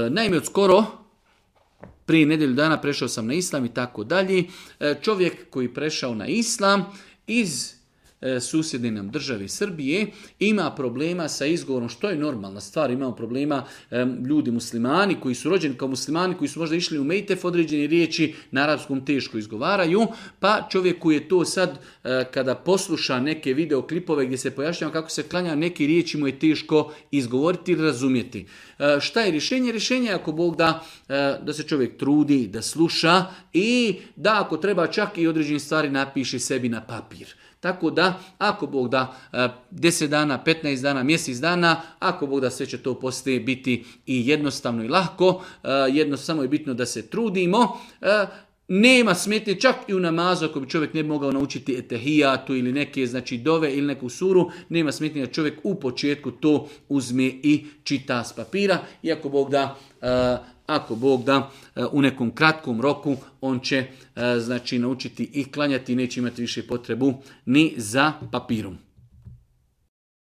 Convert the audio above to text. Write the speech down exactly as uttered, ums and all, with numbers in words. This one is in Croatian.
naime, od skoro, prije nedjelju dana prešao sam na islam i tako dalje. Čovjek koji prešao na islam iz susjedne nam države Srbije ima problema sa izgovorom, što je normalna stvar. Imamo problema ljudi muslimani koji su rođeni kao muslimani, koji su možda išli u mejtef, određene riječi na arapskom teško izgovaraju, pa čovjek koji je to sad kada posluša neke videoklipove gdje se pojašnjava kako se klanja, neke riječi mu je teško izgovoriti ili razumjeti. Šta je rješenje? Rješenje je ako Bog da, da se čovjek trudi, da sluša i da ako treba čak i određene stvari napiše sebi na papir. Tako da, ako Bog da deset dana, petnaest dana, mjesec dana, ako Bog da sve će to poslije biti i jednostavno i lako, jedno samo je bitno da se trudimo. Nema smetnje čak i u namazu, ako bi čovjek ne bi mogao naučiti etehijatu ili neke znači dove ili neku suru, nema smetnje da čovjek u početku to uzme i čita s papira. Iako Bog da, ako Bog da u nekom kratkom roku on će znači naučiti i klanjati i neće imati više potrebu ni za papirom.